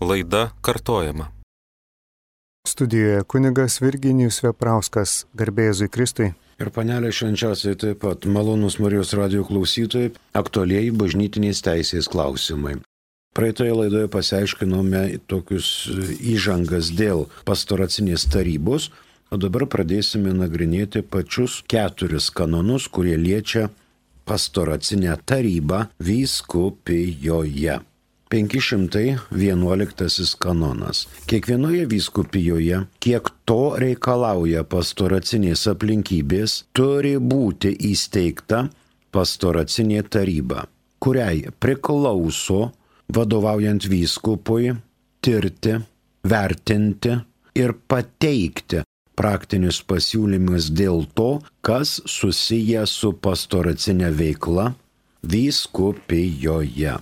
Laida kartojama. Studijoje kunigas Virginijus Veprauskas, garbė Jėzui Kristui. Ir panelė švenčiausiai taip pat, malonūs Marijos radijo klausytojai, aktualieji bažnytinės teisės klausimai. Praeitoje laidoje pasiaiškinome tokius įžangas dėl pastoracinės tarybos, o dabar pradėsime nagrinėti pačius 4 kanonus, kurie liečia pastoracinę tarybą vyskupijoje. 511 kanonas. Kiekvienoje vyskupijoje, kiek to reikalauja pastoracinės aplinkybės, turi būti įsteigta pastoracinė taryba, kuriai priklauso, vadovaujant vyskupui, tirti, vertinti ir pateikti praktinius pasiūlymus dėl to, kas susiję su pastoracinė veikla vyskupijoje.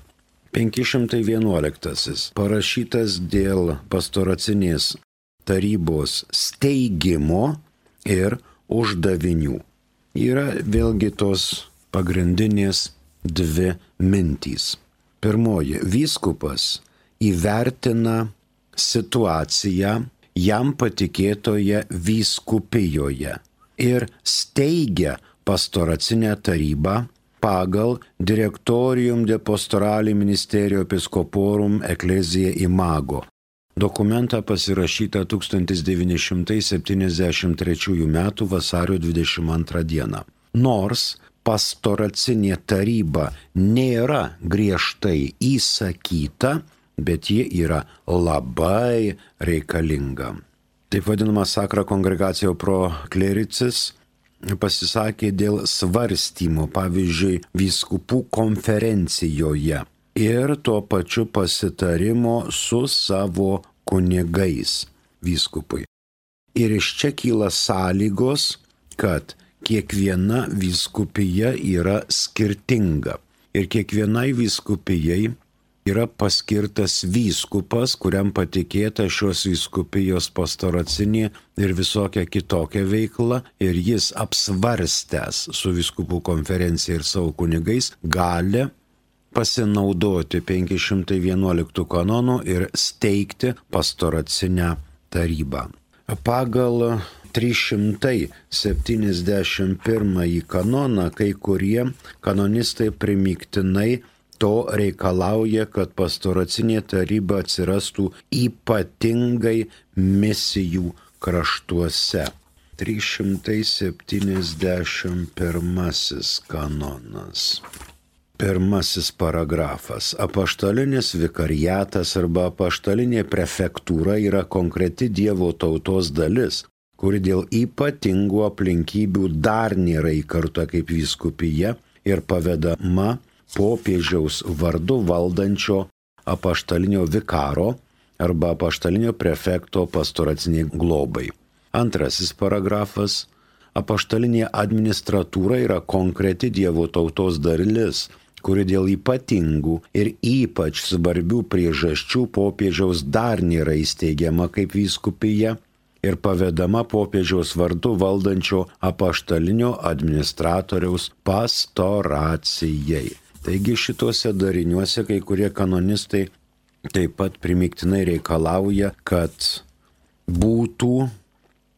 511. Parašytas dėl pastoracinės tarybos steigimo ir uždavinių. Yra vėlgi tos pagrindinės 2 mintys. Pirmoji, vyskupas įvertina situaciją jam patikėtoje vyskupijoje ir steigia pastoracinę tarybą pagal Directorium de Pastorali Ministerio Episcoporum Ecclesiae Imago. Dokumentą pasirašytą 1973 m. vasario 22 d. Nors pastoracinė taryba nėra griežtai įsakyta, bet ji yra labai reikalinga. Taip vadinama Sacra Congregatio pro Clericis pasisakė dėl svarstymo, pavyzdžiui, vyskupų konferencijoje ir tuo pačiu pasitarimo su savo kunigais vyskupui. Ir iš čia kyla sąlygos, kad kiekviena vyskupija yra skirtinga ir kiekvienai vyskupijai yra paskirtas vyskupas, kuriam patikėta šios vyskupijos pastoracinė ir visokia kitokia veikla, ir jis apsvarstęs su vyskupų konferencija ir savo kunigais gali pasinaudoti 511 kanonų ir steigti pastoracinę tarybą. Pagal 371 kanoną kai kurie kanonistai primygtinai to reikalauja, kad pastoracinė taryba atsirastų ypatingai misijų kraštuose. 371 kanonas. 1 paragrafas. Apaštalinis vikariatas arba apaštalinė prefektūra yra konkreti Dievo tautos dalis, kuri dėl ypatingų aplinkybių dar nėra įkurta kaip vyskupija ir pavedama popiežiaus vardu valdančio apaštalinio vikaro arba apaštalinio prefekto pastoraciniai globai. 2 paragrafas. Apaštalinė administratūra yra konkreti Dievo tautos dalis, kuri dėl ypatingų ir ypač svarbių priežasčių popiežiaus dar nėra įsteigiama kaip vyskupija ir pavedama popiežiaus vardu valdančio apaštalinio administratoriaus pastoracijai. Taigi šituose dariniuose kai kurie kanonistai taip pat primygtinai reikalauja, kad būtų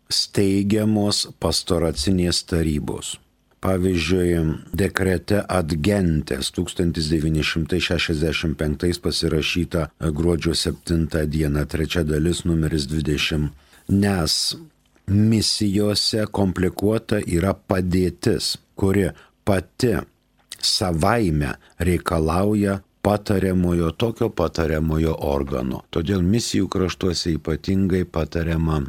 steigiamos pastoracinės tarybos. Pavyzdžiui, dekrete ad gentes 1965 pasirašyta gruodžio 7 dieną, 3 dalis numeris 20, nes misijose komplikuota yra padėtis, kuri pati savaime reikalauja tokio patariamojo organo. Todėl misijų kraštuose ypatingai patariama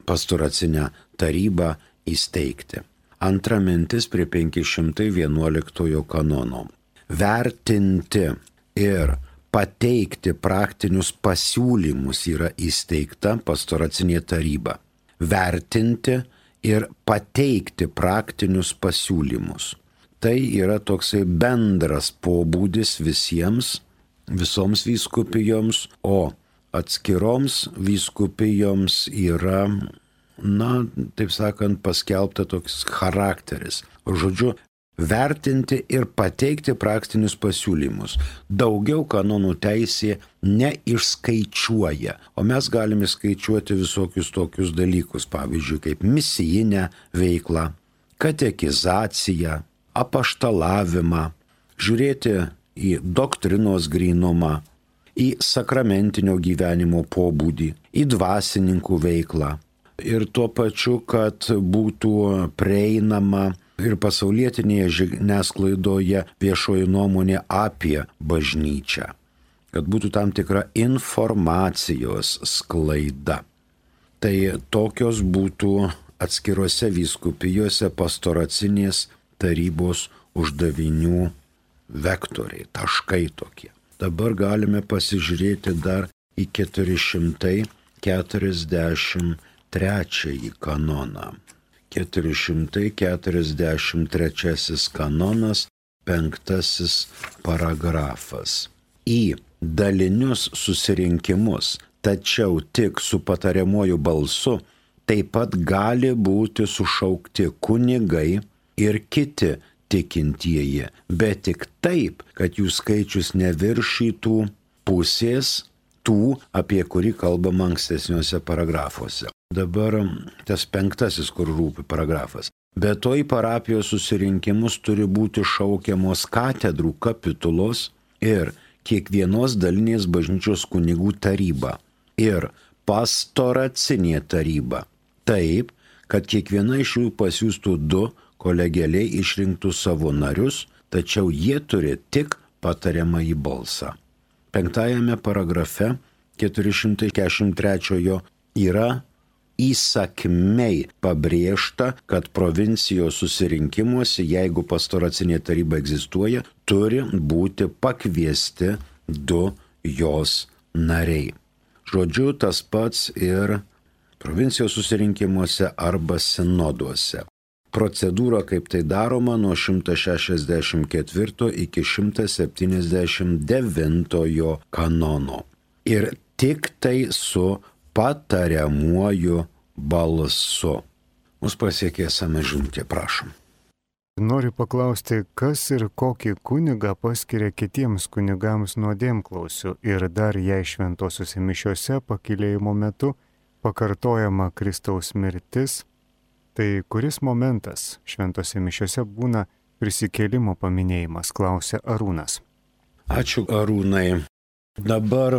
pastoracinę tarybą įsteigti. Antra mintis prie 511 kanono. Vertinti ir pateikti praktinius pasiūlymus yra įsteigta pastoracinė taryba. Vertinti ir pateikti praktinius pasiūlymus. Tai yra toksai bendras pobūdis visoms vyskupijoms, o atskiroms vyskupijoms yra, taip sakant, paskelbta toks charakteris. Žodžiu, vertinti ir pateikti praktinius pasiūlymus. Daugiau kanonų teisė neišskaičiuoja, o mes galime skaičiuoti visokius tokius dalykus, pavyzdžiui, kaip misijinę veiklą, katekizaciją, apaštalavimą, žiūrėti į doktrinos grynumą, į sakramentinio gyvenimo pobūdį, į dvasininkų veiklą ir tuo pačiu, kad būtų prieinama ir pasaulietinėje žiniasklaidoje viešoji nuomonė apie bažnyčią, kad būtų tam tikra informacijos sklaida. Tai tokios būtų atskiruose vyskupijose pastoracinės tarybos uždavinių vektoriai, taškai tokie. Dabar galime pasižiūrėti dar į 443 kanoną. 443 kanonas, 5 paragrafas. Į dalinius susirinkimus, tačiau tik su patariamuoju balsu, taip pat gali būti sušaukti kunigai ir kiti tikintieji, bet tik taip, kad jų skaičius neviršytų pusės tų, apie kurį kalbama ankstesniuose paragrafuose. Dabar tas 5, kur rūpi paragrafas. Be to į parapijos susirinkimus turi būti šaukiamos katedrų kapitulos ir kiekvienos dalinės bažnyčios kunigų taryba ir pastoracinė taryba. Taip, kad kiekviena iš jų pasiųstų 2 kolegialiai išrinktų savo narius, tačiau jie turi tik patariamąjį balsą. 5 paragrafe 443 yra įsakmiai pabrėžta, kad provincijos susirinkimuose, jeigu pastoracinė taryba egzistuoja, turi būti pakviesti 2 jos nariai. Žodžiu, tas pats ir provincijos susirinkimuose arba sinoduose. Procedūra, kaip tai daroma, nuo 164 iki 179 kanono. Ir tik tai su patariamuoju balsu. Mus pasiekė esame žinutė, prašom. Noriu paklausti, kas ir kokį kunigą paskiria kitiems kunigams nuodėmklausiu ir dar jei šventosiuose mišiuose pakilėjimo metu pakartojama Kristaus mirtis, tai kuris momentas šventose mišiuose būna prisikėlimo paminėjimas, klausia Arūnas. Ačiū, Arūnai. Dabar,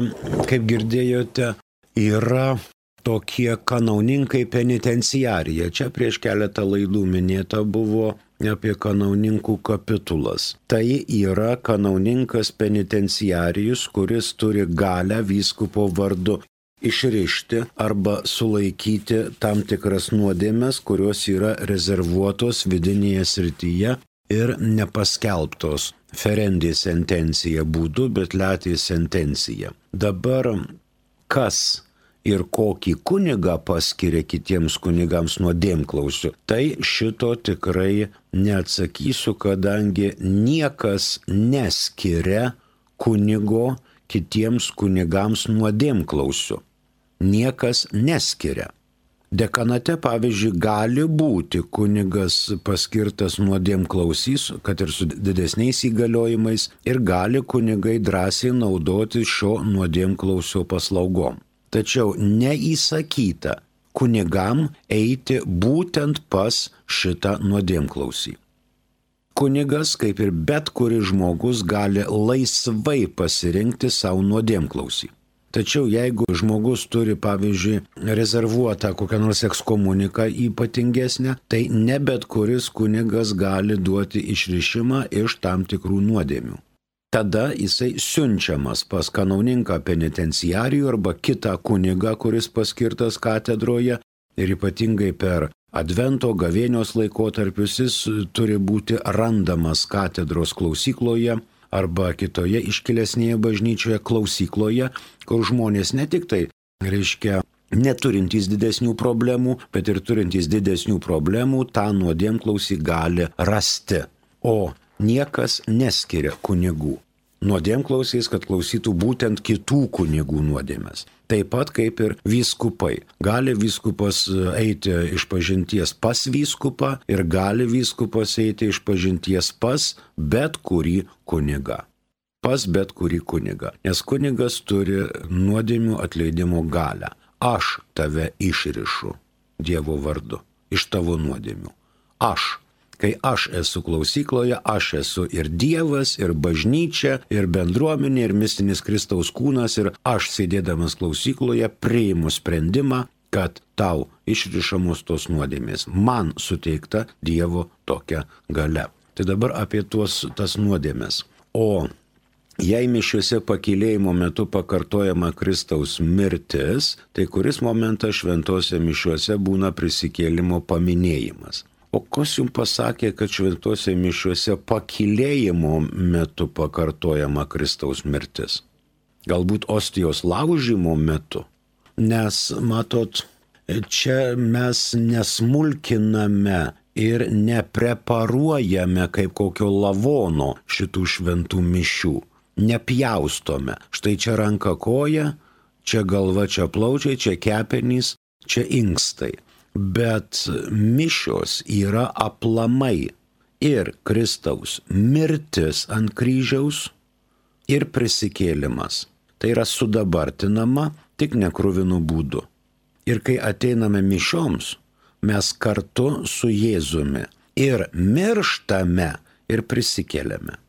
kaip girdėjote, yra tokie kanauninkai penitenciarija. Čia prieš keletą laidų minėta buvo apie kanauninkų kapitulas. Tai yra kanauninkas penitenciarijus, kuris turi galią vyskupo vardu išrišti arba sulaikyti tam tikras nuodėmes, kurios yra rezervuotos vidinėje srityje ir nepaskelbtos ferendi sentencija būdu, bet letė sentencija. Dabar kas ir kokį kunigą paskiria kitiems kunigams nuodėmklausiu, tai šito tikrai neatsakysiu, kadangi niekas neskiria kunigo kitiems kunigams nuodėmklausiu. Niekas neskiria. Dekanate, pavyzdžiui, gali būti kunigas paskirtas nuodėmklausys, kad ir su didesniais įgaliojimais, ir gali kunigai drąsiai naudoti šio nuodėmklausio paslaugom. Tačiau neįsakyta kunigam eiti būtent pas šitą nuodėmklausį. Kunigas, kaip ir bet kuris žmogus, gali laisvai pasirinkti savo nuodėmklausį. Tačiau jeigu žmogus turi, pavyzdžiui, rezervuotą kokią nors ekskomuniką ypatingesnę, tai ne bet kuris kunigas gali duoti išrišimą iš tam tikrų nuodėmių. Tada jisai siunčiamas pas kanauninką penitenciarijų arba kitą kunigą, kuris paskirtas katedroje, ir ypatingai per Advento gavėnios laikotarpius jis turi būti randamas katedros klausykloje arba kitoje iškilesnėje bažnyčioje klausykloje, kur žmonės ne tik tai, neturintys didesnių problemų, bet ir turintys didesnių problemų, tą nuodėmklausį gali rasti. O niekas neskiria kunigų. nuodėmklausiais, kad klausytų būtent kitų kunigų nuodėmes. Taip pat kaip ir vyskupai. Gali vyskupas eiti išpažinties pas vyskupą ir gali vyskupas eiti išpažinties pas bet kurį kunigą. Pas bet kurį kunigą. Nes kunigas turi nuodėmių atleidimo galią. Aš tave išrišu Dievo vardu iš tavo nuodėmių. Aš. Kai aš esu klausykloje, aš esu ir Dievas, ir bažnyčia, ir bendruomenė, ir mistinis Kristaus kūnas, ir aš sėdėdamas klausykloje priimu sprendimą, kad tau išrišamos tos nuodėmės. Man suteikta Dievo tokia galia. Tai dabar apie tas nuodėmės. O jei mišiuose pakylėjimo metu pakartojama Kristaus mirtis, tai kuris momentas šventose mišiuose būna prisikėlimo paminėjimas? O kas jums pasakė, kad šventose mišiuose pakylėjimo metu pakartojama Kristaus mirtis? Galbūt ostijos laužymo metu? Nes, matot, čia mes nesmulkiname ir nepreparuojame kaip kokio lavono šitų šventų mišių. Nepjaustome. Štai čia ranka koja, čia galva, čia plaučiai, čia kepenys, čia inkstai. Bet mišios yra aplamai ir Kristaus mirtis ant kryžiaus ir prisikėlimas. Tai yra sudabartinama tik nekruvinu būdu. Ir kai ateiname mišioms, mes kartu su Jėzumi ir mirštame ir prisikėlėme.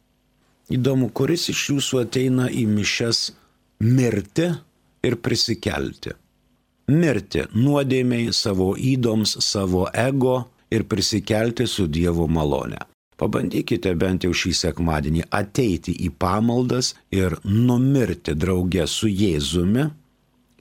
Įdomu, kuris iš jūsų ateina į mišias mirti ir prisikelti. Mirti nuodėmiai, savo įdoms, savo ego ir prisikelti su Dievo malone. Pabandykite bent jau šį sekmadienį ateiti į pamaldas ir numirti drauge su Jėzumi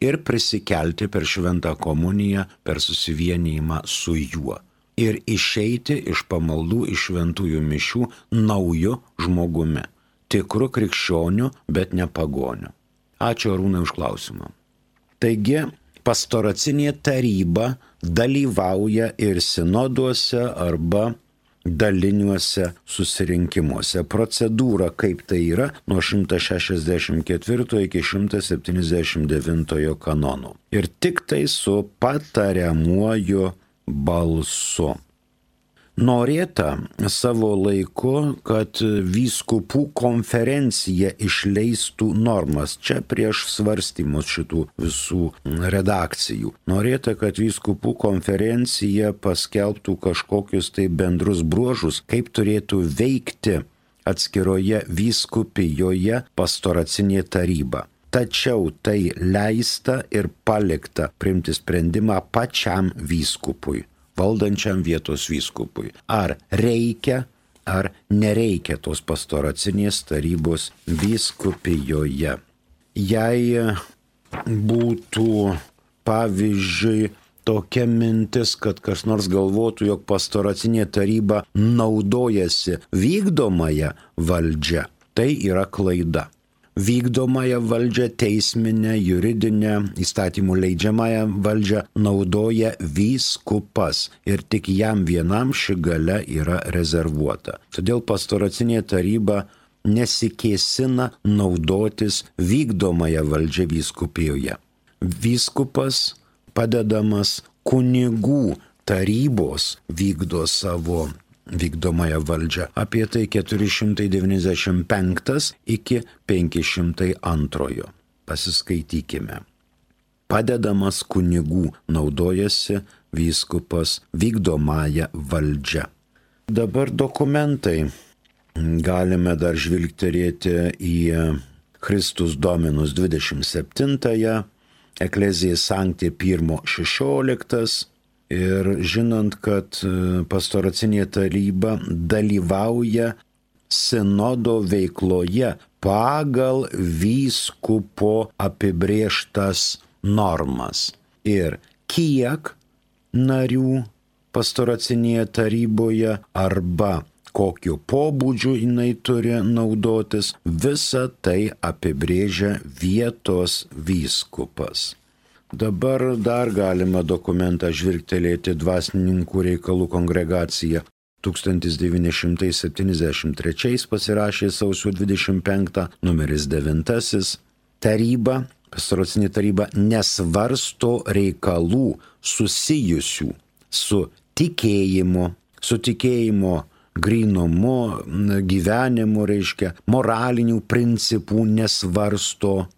ir prisikelti per šventą komuniją, per susivienijimą su juo. Ir išeiti iš pamaldų, iš šventųjų mišių nauju žmogumi. Tikru krikščioniu, bet ne pagoniu. Ačiū Arūnai už klausimą. Taigi, pastoracinė taryba dalyvauja ir sinoduose arba daliniuose susirinkimuose. Procedūra kaip tai yra nuo 164 iki 179 kanonų. Ir tik tai su patariamuoju balsu. Norėta savo laiku, kad vyskupų konferencija išleistų normas, čia prieš svarstymus šitų visų redakcijų. Norėta, kad vyskupų konferencija paskelbtų kažkokius tai bendrus bruožus, kaip turėtų veikti atskiroje vyskupijoje pastoracinė taryba. Tačiau tai leista ir palikta priimti sprendimą pačiam vyskupui, valdančiam vietos vyskupui. Ar reikia, ar nereikia tos pastoracinės tarybos vyskupijoje. Jei būtų, pavyzdžiui, tokia mintis, kad kas nors galvotų, jog pastoracinė taryba naudojasi vykdomąją valdžią, tai yra klaida. Vykdomąją valdžią, teisminę, juridinę, įstatymų leidžiamąją valdžią naudoja vyskupas ir tik jam vienam ši galia yra rezervuota. Todėl pastoracinė taryba nesikėsina naudotis vykdomąją valdžią vyskupijoje. Vyskupas, padedamas kunigų tarybos, vykdo savo vykdomąją valdžią. Apie tai 495 iki 502. Pasiskaitykime. Padedamas kunigų naudojasi vyskupas vykdomąją valdžią. Dabar dokumentai. Galime dar žvilgterėti į Christus Dominus 27, Ecclesiae Sancti 1:16 ir žinant, kad pastoracinė taryba dalyvauja sinodo veikloje pagal vyskupo apibrėžtas normas. Ir kiek narių pastoracinėje taryboje arba kokiu pobūdžiu jinai turi naudotis, visa tai apibrėžia vietos vyskupas. Dabar dar galima dokumentą žvilgtelėti Dvasininkų reikalų kongregacija 1973 pasirašė sausio 25, numeris 9. Taryba, pastoracinė taryba nesvarsto reikalų susijusių su tikėjimo grynumu, gyvenimu, reiškia, moralinių principų nesvarsto,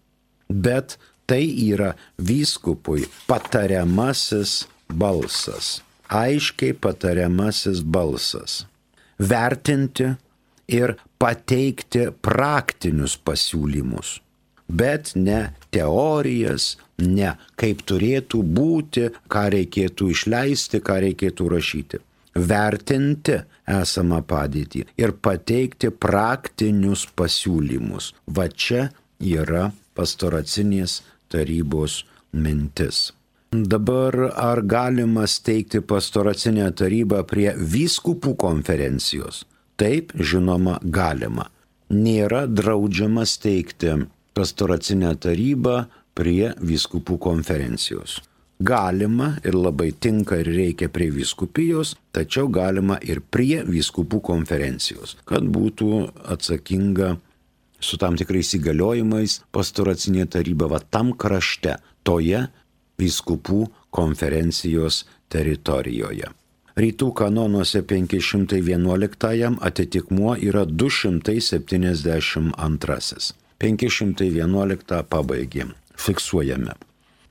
bet tai yra vyskupui patariamasis balsas, aiškiai patariamasis balsas. Vertinti ir pateikti praktinius pasiūlymus, bet ne teorijas, ne kaip turėtų būti, ką reikėtų išleisti, ką reikėtų rašyti. Vertinti esamą padėtį ir pateikti praktinius pasiūlymus. Va čia yra pastoracinės tarybos mintis. Dabar ar galima steigti pastoracinę tarybą prie vyskupų konferencijos? Taip, žinoma, galima. Nėra draudžiama steigti pastoracinę tarybą prie vyskupų konferencijos. Galima ir labai tinka ir reikia prie vyskupijos, tačiau galima ir prie vyskupų konferencijos, kad būtų atsakinga su tam tikrais įgaliojimais pastoracinė taryba va tam krašte, toje vyskupų konferencijos teritorijoje. Rytų kanonuose 511 atitikmuo yra 272. 511 pabaigėm, fiksuojame.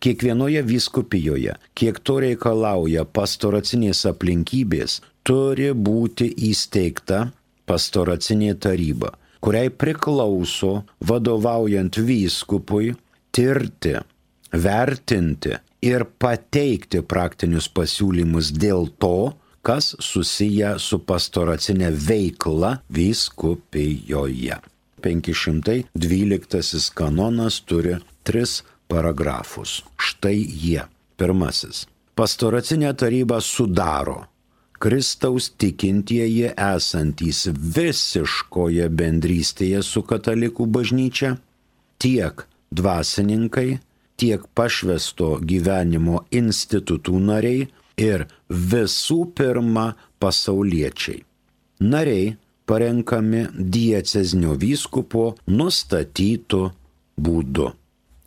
Kiekvienoje vyskupijoje, kiek to reikalauja pastoracinės aplinkybės, turi būti įsteigta pastoracinė taryba, kuriai priklauso, vadovaujant vyskupui, tirti, vertinti ir pateikti praktinius pasiūlymus dėl to, kas susiję su pastoracinė veikla vyskupijoje. 512 kanonas turi 3 paragrafus. Štai jie. Pirmasis. Pastoracinę tarybą sudaro Kristaus tikintieji esantys visiškoje bendrystėje su katalikų bažnyčia, tiek dvasininkai, tiek pašvęsto gyvenimo institutų nariai ir visų pirma pasauliečiai. Nariai parenkami diecezinio vyskupo nustatytu būdu.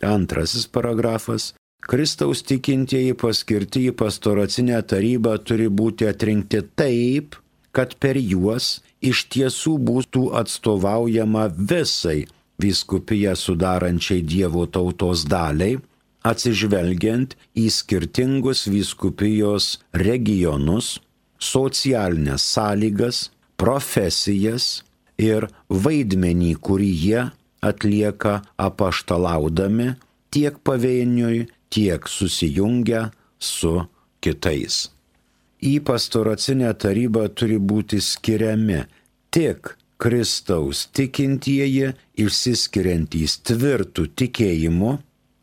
Antrasis paragrafas. Kristaus tikintieji paskirti į pastoracinę tarybą turi būti atrinkti taip, kad per juos iš tiesų būtų atstovaujama visai vyskupiją sudarančiai Dievo tautos daliai, atsižvelgiant į skirtingus vyskupijos regionus, socialinės sąlygas, profesijas ir vaidmenį, kurį jie atlieka apaštalaudami tiek pavieniui, tiek susijungę su kitais. Į pastoracinę tarybą turi būti skiriami tik Kristaus tikintieji, išsiskiriantys tvirtų tikėjimu,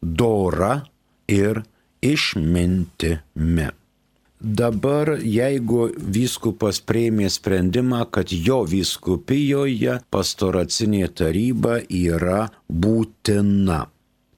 dora ir išmintimi. Dabar, jeigu vyskupas priėmė sprendimą, kad jo vyskupijoje pastoracinė taryba yra būtina,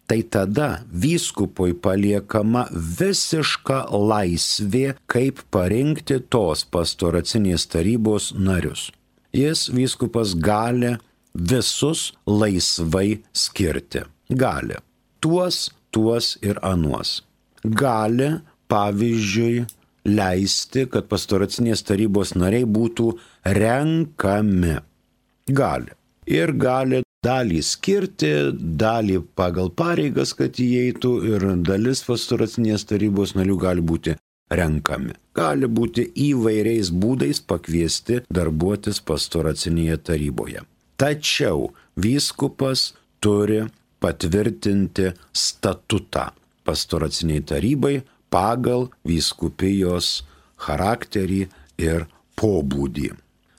tai tada vyskupui paliekama visiška laisvė, kaip parinkti tos pastoracinės tarybos narius. Jis, vyskupas, gali visus laisvai skirti. Gali. Tuos ir anuos. Gali, pavyzdžiui, leisti, kad pastoracinės tarybos nariai būtų renkami. Gali. Ir gali dalį skirti, dalį pagal pareigas, kad įeitų, ir dalis pastoracinės tarybos narių gali būti renkami. Gali būti įvairiais būdais pakviesti darbuotis pastoracinėje taryboje. Tačiau vyskupas turi patvirtinti statutą pastoraciniai tarybai pagal vyskupijos charakterį ir pobūdį.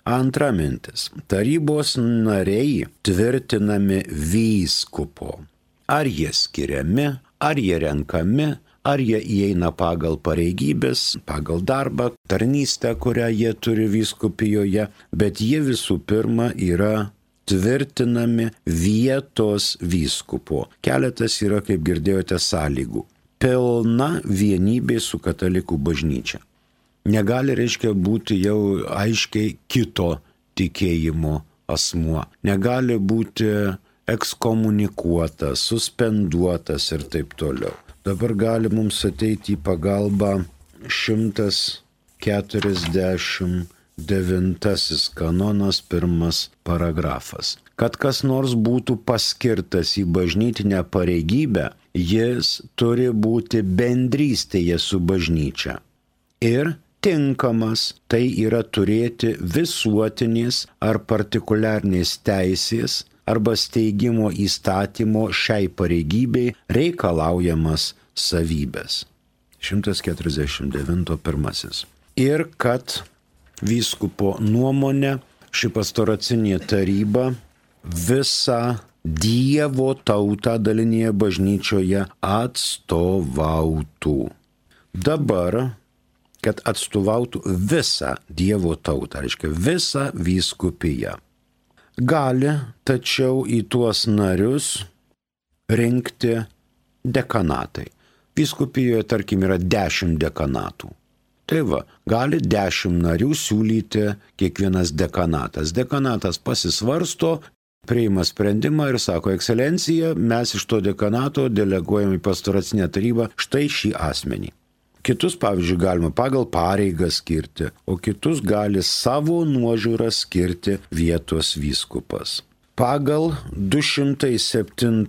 Antra mintis. Tarybos nariai tvirtinami vyskupo. Ar jie skiriami, ar jie renkami, ar jie įeina pagal pareigybės, pagal darbą, tarnystę, kurią jie turi vyskupijoje, bet jie visų pirma yra tvirtinami vietos vyskupo. Keletas yra, kaip girdėjote, sąlygų. Pilna vienybė su katalikų bažnyčia. Negali, reiškia, būti jau aiškiai kito tikėjimo asmuo. Negali būti ekskomunikuotas, suspenduotas ir taip toliau. Dabar gali mums ateiti į pagalbą 149 kanonas, 1 paragrafas. Kad kas nors būtų paskirtas į bažnytinę pareigybę, jis turi būti bendrystėje su bažnyčia. Ir tinkamas, tai yra turėti visuotinės ar partikuliarnės teisės arba steigimo įstatymo šiai pareigybei reikalaujamas savybės. 149.1. Ir kad vyskupo nuomonė ši pastoracinė taryba visą Dievo tautą dalinėje bažnyčioje atstovautų. Dabar, kad atstovautų visą Dievo tautą, reiškia visą vyskupiją. Gali, tačiau į tuos narius rinkti dekanatai. Vyskupijoje, tarkim, yra 10 dekanatų. Tai va, gali 10 narių siūlyti kiekvienas dekanatas. Dekanatas pasisvarsto, priima sprendimą ir sako, ekscelencija, mes iš to dekanato deleguojam į pastoracinę tarybą štai šį asmenį. Kitus, pavyzdžiui, galima pagal pareigą skirti, o kitus gali savo nuožiūrą skirti vietos vyskupas. Pagal 207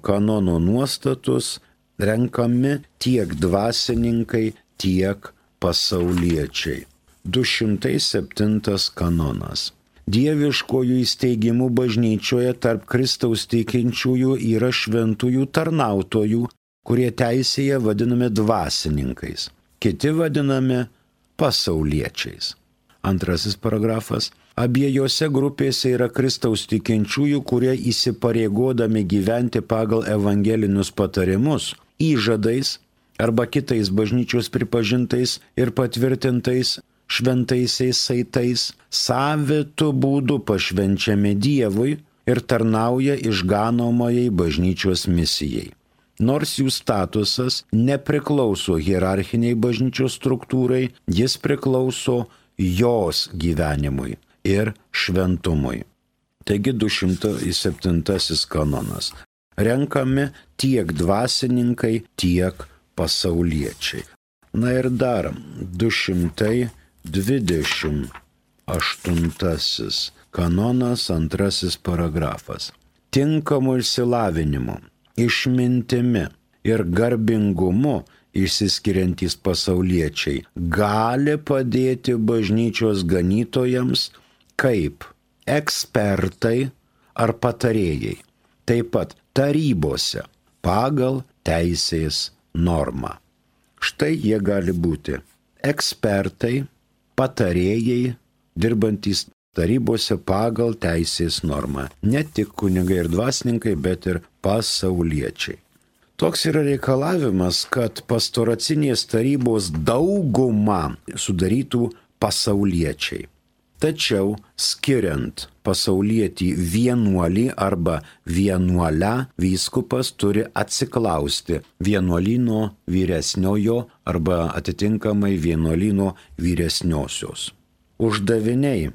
kanono nuostatus renkami tiek dvasininkai, tiek pasauliečiai. 207 kanonas. Dieviškojų įsteigimų bažnyčioje tarp Kristaus tikinčiųjų yra šventųjų tarnautojų, kurie teisėje vadinami dvasininkais, kiti vadinami pasauliečiais. 2 paragrafas. Abiejose grupėse yra Kristaus tikinčiųjų, kurie įsipareigodami gyventi pagal evangelinius patarimus, įžadais arba kitais bažnyčios pripažintais ir patvirtintais šventaisiais saitais, savitu būdu pašvenčiami Dievui ir tarnauja išganomajai bažnyčios misijai. Nors jų statusas nepriklauso hierarchiniai bažnyčios struktūrai, jis priklauso jos gyvenimui ir šventumui. Taigi 207 kanonas. Renkami tiek dvasininkai, tiek pasauliečiai. Na ir dar 228 kanonas, 2 paragrafas. Tinkamu išsilavinimu, išmintimi ir garbingumu išsiskiriantys pasauliečiai gali padėti bažnyčios ganytojams kaip ekspertai ar patarėjai, taip pat tarybose pagal teisės normą. Štai jie gali būti ekspertai, patarėjai, dirbantys tarybose pagal teisės normą. Ne tik kunigai ir dvasininkai, bet ir pasauliečiai. Toks yra reikalavimas, kad pastoracinės tarybos daugumą sudarytų pasauliečiai. Tačiau skiriant pasaulietį vienuolį arba vienuolę, vyskupas turi atsiklausti vienuolyno vyresniojo arba atitinkamai vienuolyno vyresniosios. Uždaviniai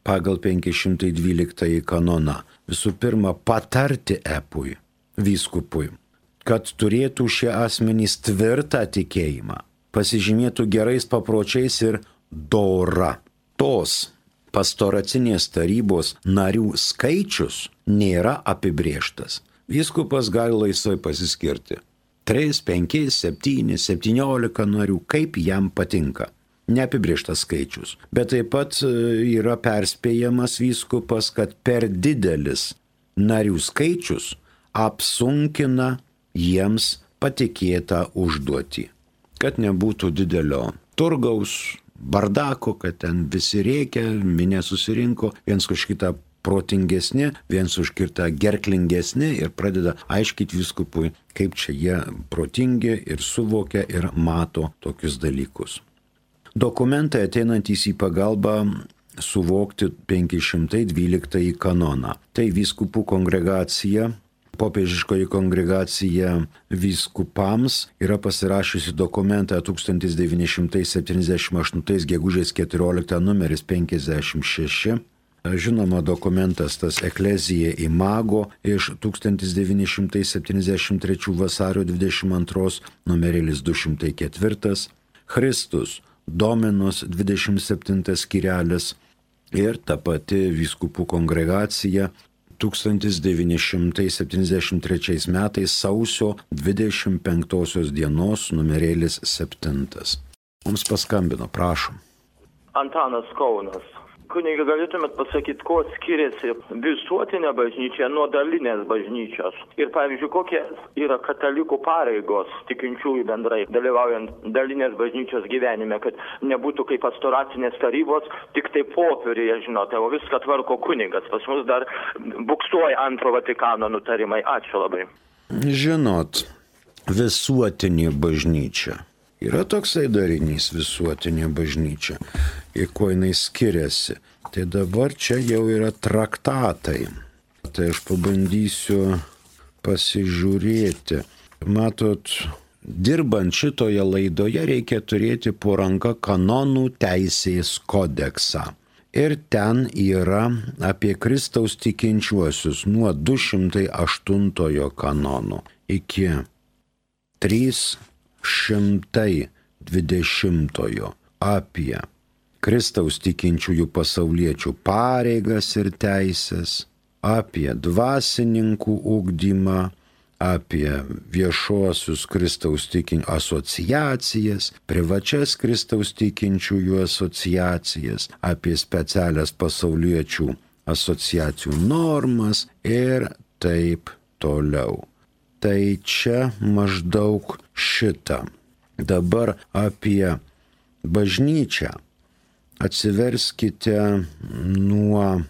pagal 512 kanoną visų pirma patarti epui, vyskupui, kad turėtų šie asmenys tvirtą tikėjimą, pasižymėtų gerais papročiais ir dora. Tos pastoracinės tarybos narių skaičius nėra apibrėžtas. Vyskupas gali laisvai pasiskirti. 3, 5, 7, 17 narių, kaip jam patinka. Neapibrėžtas skaičius. Bet taip pat yra perspėjamas vyskupas, kad per didelis narių skaičius apsunkina jiems patikėtą užduotį. Kad nebūtų didelio turgaus, bardako, kad ten visi rėkia, minė susirinko, viens už kitą protingesni, viens už kitą gerklingesni ir pradeda aiškyti vyskupui, kaip čia jie protingi ir suvokia ir mato tokius dalykus. Dokumentai ateinantys į pagalbą suvokti 512 kanoną. Tai vyskupų kongregacija Popiežiškoji kongregacija vyskupams yra pasirašiusi dokumentą 1978 gegužės 14 numeris 56. Žinoma, dokumentas tas Ecclesiae Imago iš 1973 vasario 22 numeris 204. Christus Dominus 27 skyrelis ir ta pati vyskupų kongregacija 1973 metais sausio 25 dienos numeris 7. Mums paskambino, prašom. Antanas Kaunas. Kunigi, galėtumėt pasakyti, kuo skiriasi visuotinė bažnyčia nuo dalinės bažnyčios? Ir pavyzdžiui, kokie yra katalikų pareigos tikinčiųjų bendrai, dalyvaujant dalinės bažnyčios gyvenime, kad nebūtų kaip pastoracinės tarybos, tik tai popieriuje, žinote, o viską tvarko kunigas. Pas mus dar buksuoja antro Vatikano nutarimai. Ačiū labai. Žinot, visuotinė bažnyčia. Yra toksai darinys visuotinė bažnyčia, į ko jinai skiriasi. Tai dabar čia jau yra traktatai. Tai aš pabandysiu pasižiūrėti. Matot, dirbant šitoje laidoje reikia turėti po ranka kanonų teisės kodeksą. Ir ten yra apie Kristaus tikinčiuosius nuo 208 kanono iki 320 apie Kristaus tikinčiųjų pasauliečių pareigas ir teisės, apie dvasininkų ugdymą, apie viešuosius Kristaus tikinčiųjų asociacijas, privačias Kristaus tikinčiųjų asociacijas, apie specialias pasauliečių asociacijų normas ir taip toliau. Tai čia maždaug šitą. Dabar apie bažnyčią. Atsiverskite nuo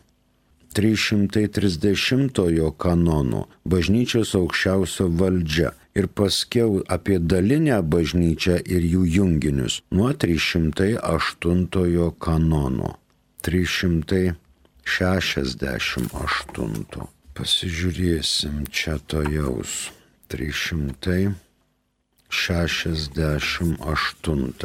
330 kanono bažnyčios aukščiausio valdžia ir paskiau apie dalinę bažnyčią ir jų junginius nuo 308 kanono. 368. Pasižiūrėsim čia tojaus. 368.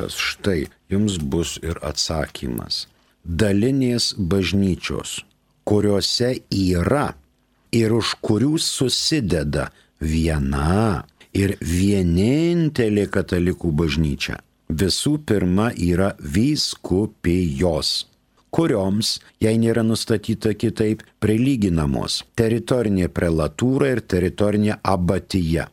Štai jums bus ir atsakymas. Dalinės bažnyčios, kuriuose yra ir už kurių susideda viena ir vienintelė katalikų bažnyčia, visų pirma yra vyskupijos, kurioms, jei nėra nustatyta kitaip, prilyginamos teritorinė prelatūra ir teritorinė abatija,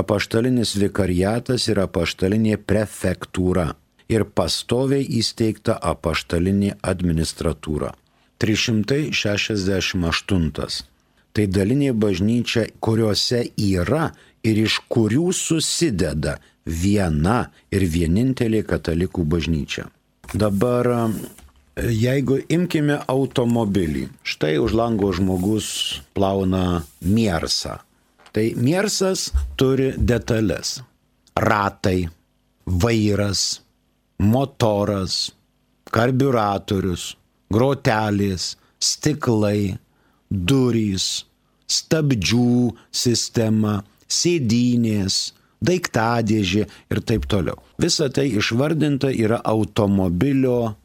apaštalinis vikariatas ir apaštalinė prefektūra ir pastoviai įsteigta apaštalinė administratūra. 368. Tai dalinė bažnyčia, kuriuose yra ir iš kurių susideda viena ir vienintelė katalikų bažnyčia. Dabar jeigu imkime automobilį, štai už lango žmogus plauna miersą. Tai miersas turi detalės. Ratai, vairas, motoras, karbiuratorius, grotelės, stiklai, durys, stabdžių sistema, sėdynės, daiktadėžė ir taip toliau. Visa tai išvardinta yra automobilio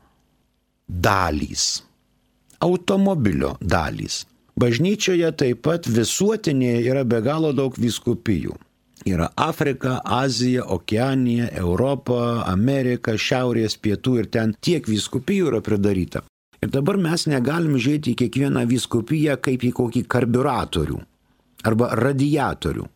dalys. Automobilio dalys. Bažnyčioje taip pat visuotinėje yra be galo daug vyskupijų. Yra Afrika, Azija, Okeanija, Europa, Amerika, Šiaurės, Pietų ir ten tiek vyskupijų yra pridaryta. Ir dabar mes negalim žiūrėti į kiekvieną vyskupiją kaip į kokį karbiuratorių, arba radiatorių,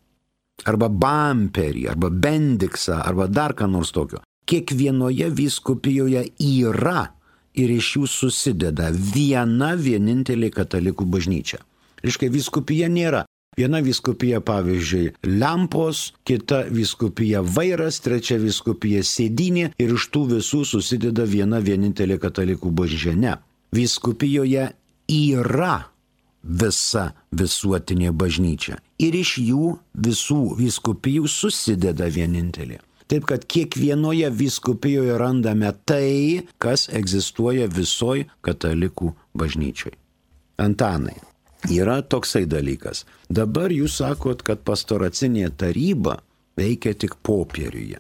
arba bamperį, arba bendiksą, arba dar ką nors tokio. Kiekvienoje vyskupijoje yra ir iš jų susideda viena vienintelė katalikų bažnyčia. Reiškia, vyskupija nėra. Viena vyskupija, pavyzdžiui, lempos, kita vyskupija vairas, trečia vyskupija sėdynė ir iš tų visų susideda viena vienintelė katalikų bažnyčia. Ne. Vyskupijoje yra visa visuotinė bažnyčia ir iš jų visų vyskupijų susideda vienintelė. Taip kad kiekvienoje vyskupijoje randame tai, kas egzistuoja visoj katalikų bažnyčioj. Antanai, yra toksai dalykas. Dabar jūs sakot, kad pastoracinė taryba veikia tik popieriuje.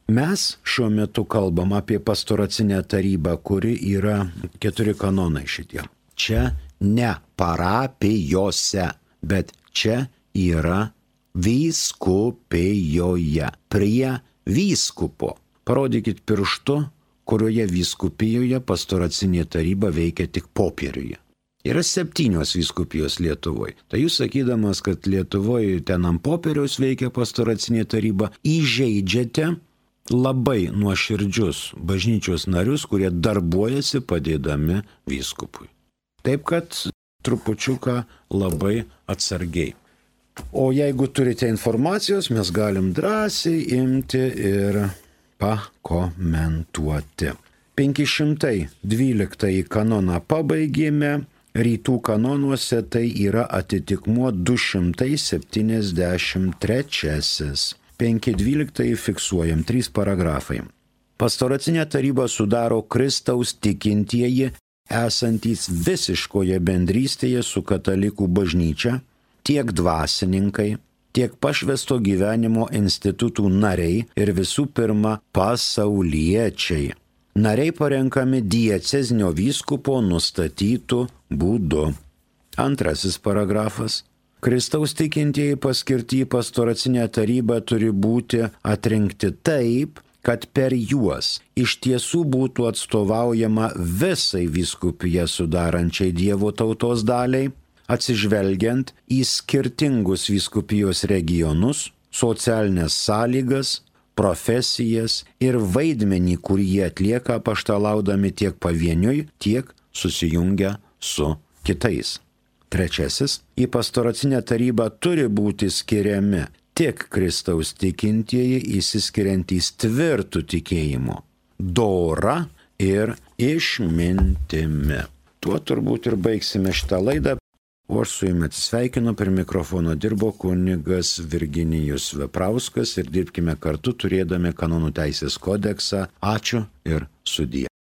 Mes šiuo metu kalbam apie pastoracinę tarybą, kuri yra 4 kanonai šitie. Čia ne parapijose, bet čia yra vyskupijoje, prie vyskupo. Parodykit pirštu, kurioje vyskupijoje pastoracinė taryba veikia tik popieriuje. Yra 7 vyskupijos Lietuvoje. Tai jūs sakydamas, kad Lietuvoje ten ant popieriaus veikia pastoracinė taryba, įžeidžiate labai nuoširdžius bažnyčios narius, kurie darbuojasi padėdami vyskupui. Taip kad trupučiuką labai atsargiai. O jeigu turite informacijos, mes galim drąsiai imti ir pakomentuoti. 512 kanoną pabaigėme, rytų kanonuose tai yra atitikmuo 273. 512 fiksuojam 3 paragrafai. Pastoracinę tarybą sudaro Kristaus tikintieji, esantys visiškoje bendrystėje su katalikų bažnyčia, tiek dvasininkai, tiek pašvęsto gyvenimo institutų nariai ir visų pirma pasauliečiai. Nariai parenkami diecezinio vyskupo nustatytų būdu. 2 paragrafas. Kristaus tikintieji paskirti į pastoracinę tarybą turi būti atrinkti taip, kad per juos iš tiesų būtų atstovaujama visai vyskupiją sudarančiai Dievo tautos daliai, atsižvelgiant į skirtingus vyskupijos regionus, socialinės sąlygas, profesijas ir vaidmenį, kurį jie atlieka apaštalaudami tiek pavieniui, tiek susijungę su kitais. 3. Į pastoracinę tarybą turi būti skiriami tik Kristaus tikintieji įsiskiriantys tvirtų tikėjimu, dora ir išmintimi. Tuo turbūt ir baigsime šitą laidą. O aš su jumis atsisveikinu, prie mikrofono dirbo kunigas Virginijus Veprauskas ir dirbkime kartu turėdami kanonų teisės kodeksą. Ačiū ir sudie.